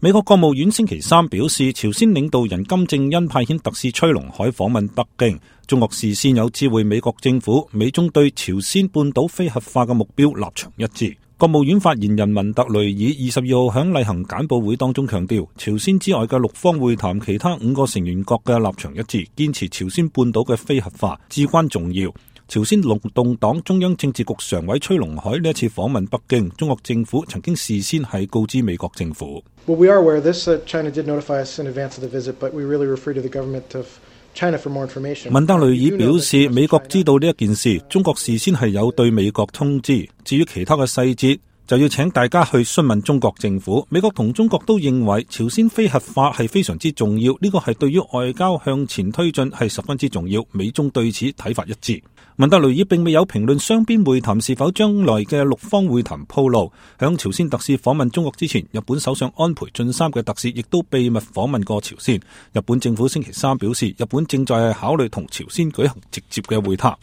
美國國務院星期三表示，朝鮮領導人金正恩派遣特使崔龍海訪問北京，中國事先有知會美國政府，美中對朝鮮半島非核化嘅目標立場一致。國務院發言人文特雷爾22號響例行簡報會當中強調，朝鮮之外嘅六方會談其他5個成員國嘅立場一致，堅持朝鮮半島嘅非核化至關重要。朝鮮勞動黨中央政治局常委崔龍海呢一次訪問北京，中國政府曾經事先係告知美國政府。Well, we are aware of this. China did notify us in advance of the visit, but we really refer to the government of China for more information. 文特雷爾表示，美國知道呢一件事，中國事先係有對美國通知，至於其他嘅細節，就要請大家去詢問中國政府。美國同中國都認為朝鮮非核化係非常之重要，呢個係對於外交向前推進係十分之重要，美中對此睇法一致。文特雷爾並未有評論雙邊會談是否將來嘅六方會談鋪路。響朝鮮特使訪問中國之前，日本首相安倍晉三嘅特使亦都秘密訪問過朝鮮。日本政府星期三表示，日本正在考慮同朝鮮舉行直接嘅會談。